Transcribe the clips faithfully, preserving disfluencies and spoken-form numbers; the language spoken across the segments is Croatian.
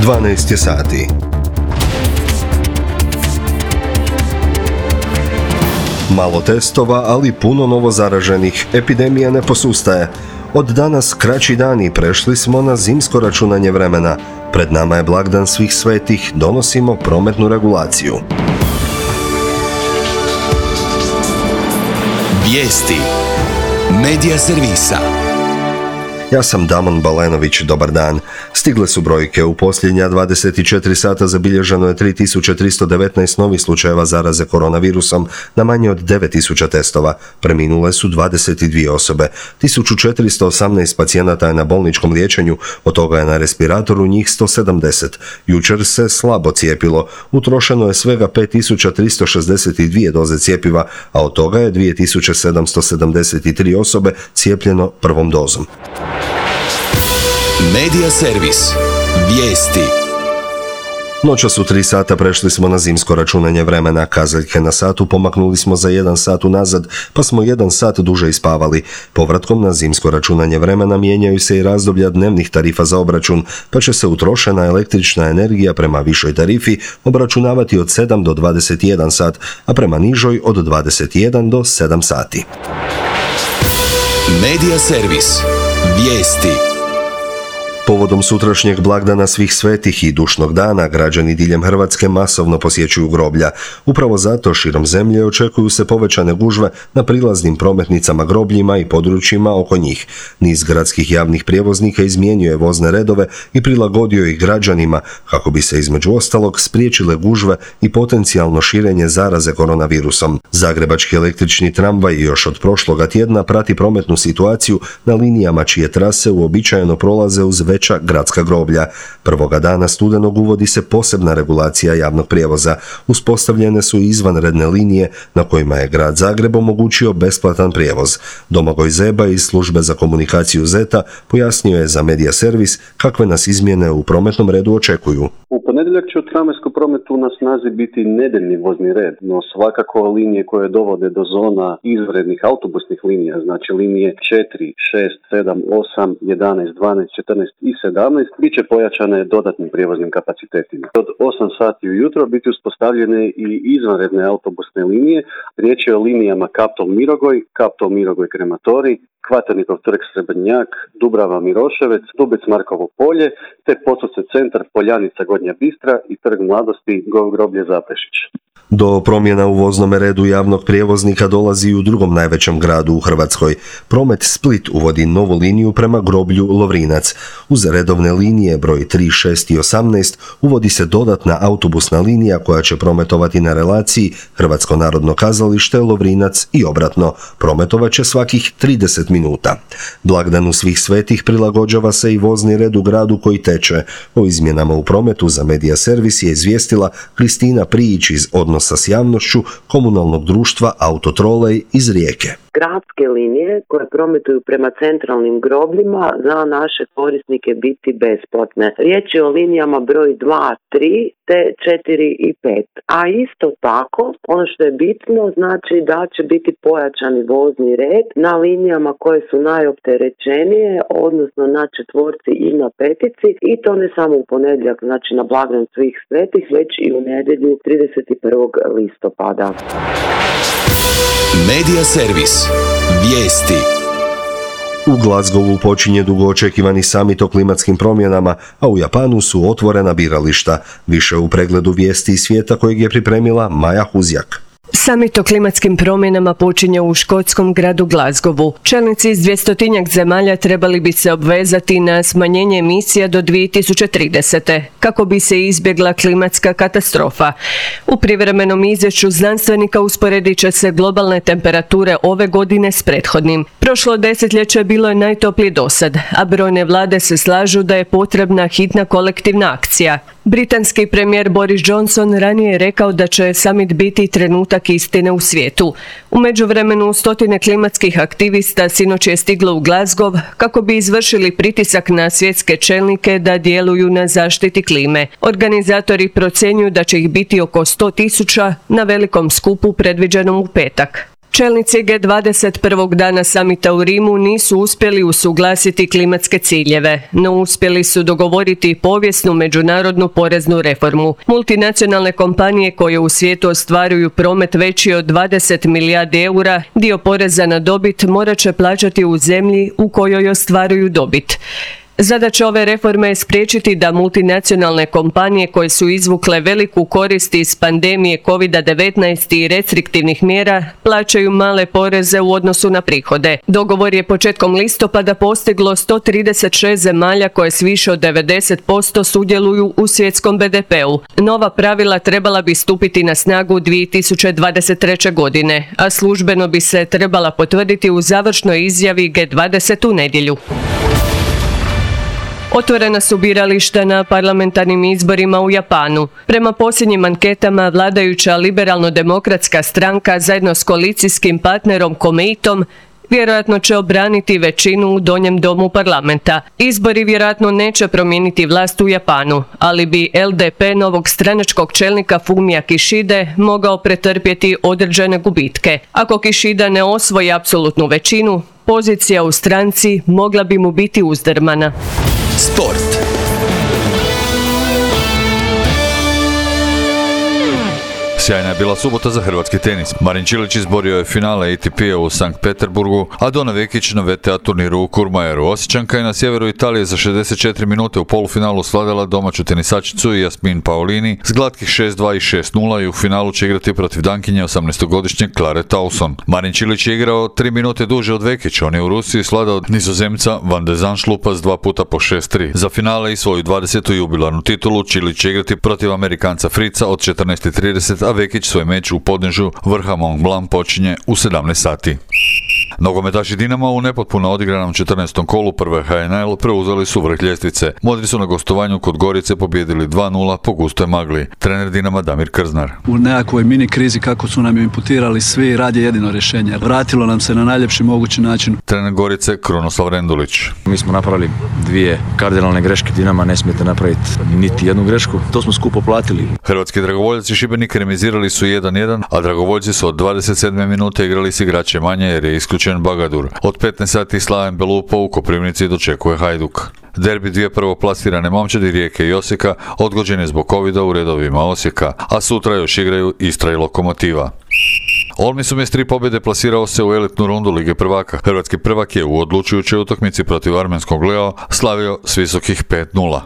dvanaest je sati. Malo testova, ali puno novozaraženih. Epidemija ne posustaje. Od danas kraći dani, prešli smo na zimsko računanje vremena. Pred nama je blagdan svih svetih, donosimo prometnu regulaciju. Vijesti Medija servisa. Ja sam Damon Balenović, dobar dan. Stigle su brojke. U posljednja dvadeset četiri sata zabilježeno je tri tisuće tristo devetnaest novih slučajeva zaraze koronavirusom na manje od devet tisuća testova. Preminule su dvadeset dvije osobe. tisuću četiristo osamnaest pacijenata je na bolničkom liječenju, od toga je na respiratoru njih sto sedamdeset. Jučer se slabo cijepilo. Utrošeno je svega pet tisuća tristo šezdeset dvije doze cjepiva, a od toga je dvije tisuće sedamsto sedamdeset tri osobe cijepljeno prvom dozom. Medija servis. Vijesti. Noćas u tri sata prešli smo na zimsko računanje vremena. Kazaljke na satu pomaknuli smo za jedan sat unazad, pa smo jedan sat duže ispavali. Povratkom na zimsko računanje vremena mijenjaju se i razdoblja dnevnih tarifa za obračun, pa će se utrošena električna energija prema višoj tarifi obračunavati od sedam do dvadeset jedan sat, a prema nižoj od dvadeset jedan do sedam sati. Medija servis. Vijesti. Povodom sutrašnjeg blagdana svih svetih i dušnog dana, građani diljem Hrvatske masovno posjećuju groblja. Upravo zato širom zemlje očekuju se povećane gužve na prilaznim prometnicama grobljima i područjima oko njih. Niz gradskih javnih prijevoznika izmijenio je vozne redove i prilagodio ih građanima kako bi se između ostalog spriječile gužve i potencijalno širenje zaraze koronavirusom. Zagrebački električni tramvaj još od prošloga tjedna prati prometnu situaciju na linijama čije trase uobičajeno prolaze uz veća gradska groblja. Prvoga dana studenog uvodi se posebna regulacija javnog prijevoza. Uspostavljene su izvanredne linije na kojima je grad Zagreb omogućio besplatan prijevoz. Domagoj Zeba iz službe za komunikaciju Zeta pojasnio je za Medija servis kakve nas izmjene u prometnom redu očekuju. U ponedjeljak će u tramvajskom prometu na snazi biti nedeljni vozni red, no svakako linije koje dovode do zona izvanrednih autobusnih linija, znači linije četiri, šest, sedam, osam, jedanaest, dvanaest, četrnaest i sedamnaest, bit će pojačane dodatnim prijevoznim kapacitetima. Od osam sati ujutro biti uspostavljene i izvanredne autobusne linije. Riječ je o linijama Kaptol-Mirogoj, Kaptol-Mirogoj-Krematorij, Kvaternikov trg Srebrnjak, Dubrava Miroševec, Dubec Markovo polje, te Podsovce centar, Poljanica Gornja Bistra i trg Mladosti, groblje Zaprešić. Do promjena u voznom redu javnog prijevoznika dolazi i u drugom najvećem gradu u Hrvatskoj. Promet Split uvodi novu liniju prema groblju Lovrinac. Uz redovne linije broj tri, šest i osamnaest uvodi se dodatna autobusna linija koja će prometovati na relaciji Hrvatsko narodno kazalište, Lovrinac i obratno. Prometovat će svakih trideset minuta. Blagdanu svih svetih prilagođava se i vozni red u gradu koji teče. O izmjenama u prometu za Medija servis je izvijestila Kristina Prijić iz Odnosa sa javnošću komunalnog društva Autotrolej iz Rijeke. Gradske linije koje prometuju prema centralnim grobljima za naše korisnike biti besplatne. Riječ je o linijama broj dva, tri, te četiri i pet. A isto tako, ono što je bitno, znači da će biti pojačani vozni red na linijama koje su najopterećenije, odnosno na četvorci i na petici, i to ne samo u ponedjeljak, znači na blagdan svih svetih, već i u nedjelju trideset prvog listopada. Medija servis. Vijesti. U Glasgowu počinje dugo očekivani samit o klimatskim promjenama, a u Japanu su otvorena birališta. Više u pregledu vijesti iz svijeta kojeg je pripremila Maja Huzjak. Samit o klimatskim promjenama počinje u škotskom gradu Glasgowu. Čelnici iz dvjestotinjak zemalja trebali bi se obvezati na smanjenje emisija do dvije tisuće tridesete. kako bi se izbjegla klimatska katastrofa. U privremenom izvješću znanstvenika usporedit će se globalne temperature ove godine s prethodnim. Prošlo desetljeće bilo je najtoplije dosad, a brojne vlade se slažu da je potrebna hitna kolektivna akcija. Britanski premijer Boris Johnson ranije je rekao da će samit biti trenutak istine u svijetu. U međuvremenu stotine klimatskih aktivista sinoć je stiglo u Glasgow kako bi izvršili pritisak na svjetske čelnike da djeluju na zaštiti klime. Organizatori procjenjuju da će ih biti oko sto tisuća na velikom skupu predviđenom u petak. Čelnici G dvadeset prvog dana samita u Rimu nisu uspjeli usuglasiti klimatske ciljeve, no uspjeli su dogovoriti povijesnu međunarodnu poreznu reformu. Multinacionalne kompanije koje u svijetu ostvaruju promet veći od dvadeset milijardi eura, dio poreza na dobit morat će plaćati u zemlji u kojoj ostvaruju dobit. Zadaća ove reforme je spriječiti da multinacionalne kompanije koje su izvukle veliku korist iz pandemije kovid devetnaest i restriktivnih mjera plaćaju male poreze u odnosu na prihode. Dogovor je početkom listopada postiglo sto trideset šest zemalja koje s više od devedeset posto sudjeluju u svjetskom be de peu. Nova pravila trebala bi stupiti na snagu dvije tisuće dvadeset treće. godine, a službeno bi se trebala potvrditi u završnoj izjavi G dvadeset u nedjelju. Otvorena su birališta na parlamentarnim izborima u Japanu. Prema posljednjim anketama, vladajuća liberalno-demokratska stranka zajedno s koalicijskim partnerom Komeitom vjerojatno će obraniti većinu u donjem domu parlamenta. Izbori vjerojatno neće promijeniti vlast u Japanu, ali bi el de pe novog stranačkog čelnika Fumija Kishide mogao pretrpjeti određene gubitke. Ako Kishida ne osvoji apsolutnu većinu, pozicija u stranci mogla bi mu biti uzdrmana. Sport. Sjajna je bila subota za hrvatski tenis. Marin Čilić izborio je finale A T P-a u Sankt Peterburgu, a Dona Vekić na ve te a turniru u Kurmajeru. Osječanka je na sjeveru Italije za šezdeset četiri minute u polufinalu slavila domaću tenisačicu Jasmin Paolini s glatkih šest dva i šest nula i u finalu će igrati protiv Dankinje osamnaestogodišnje Klare Tauson. Marin Čilić je igrao tri minute duže od Vekića. On je u Rusiji svladao Nizozemca Van de Zandschulpa s dva puta po šest tri. Za finale i svoju dvadesetu jubilarnu titulu Čilić će igrati protiv Amerikanca Frica od četrnaest i trideset, a Vekić svoj meč u podnežu vrha Mont Blanc počinje u sedamnaest sati. Nogometaši Dinama u nepotpuno odigranom četrnaestom kolu prve ha en el preuzeli su vrh ljestvice. Modri su na gostovanju kod Gorice pobijedili dva nula po gustoj magli. Trener Dinama Damir Krznar. U nekakvoj mini krizi kako su nam imputirali svi, rad je jedino rješenje. Vratilo nam se na najljepši mogući način. Trener Gorice Krunoslav Rendulić. Mi smo napravili dvije kardinalne greške, Dinama ne smijete napraviti niti jednu grešku. To smo skupo platili. Hrvatski dragovoljci Šibenik remizirali su jedan jedan, a dragovoljci su od dvadeset sedme minute igrali s igrače manje jer je isključen Bagadur. Od petnaest sati Slaven Belupo u Koprivnici dočekuje Hajduk. Derbi dvije prvoplasirane momčadi Rijeke i Osijeka odgođen je zbog covida u redovima Osijeka, a sutra još igraju Istra i Lokomotiva. Olmisum je s tri pobjede plasirao se u elitnu rundu Lige prvaka. Hrvatski prvak je u odlučujućoj utakmici protiv armenskog Leo slavio s visokih pet nula.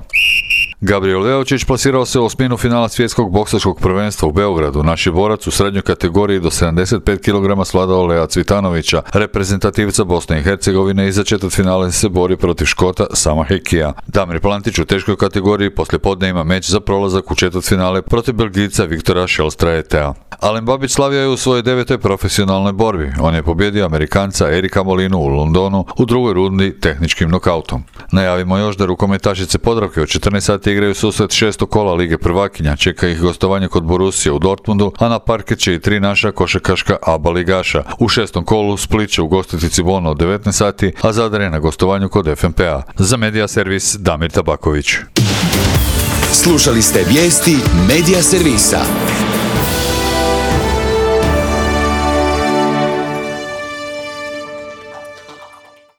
Gabriel Leočić plasirao se u osminu finala svjetskog boksačkog prvenstva u Beogradu. Naš je borac u srednjoj kategoriji do sedamdeset pet kilograma svladao Lea Cvitanovića, reprezentativca Bosne i Hercegovine, i za četvrtfinale se bori protiv Škota Sama Hekija. Damir Plantić u teškoj kategoriji poslijepodne ima meč za prolazak u četvrtfinale protiv Belgijca Viktora Šelstraetea. Alen Babić slavio je u svojoj devetoj profesionalnoj borbi. On je pobjedio Amerikanca Erika Molinu u Londonu u drugoj rundi tehničkim nokautom. Najavimo još da rukometašice Podravke od četrnaest sati igraju susret šestog kola Lige prvakinja. Čeka ih gostovanje kod Borussije u Dortmundu, a na parket će i tri naša košarkaška aba ligaša. U šestom kolu Split će ugostiti Cibonu od devetnaest sati, a Zadar je na gostovanju kod ef em pe a. Za Medija servis Damir Tabaković. Slušali ste vijesti Medija servisa.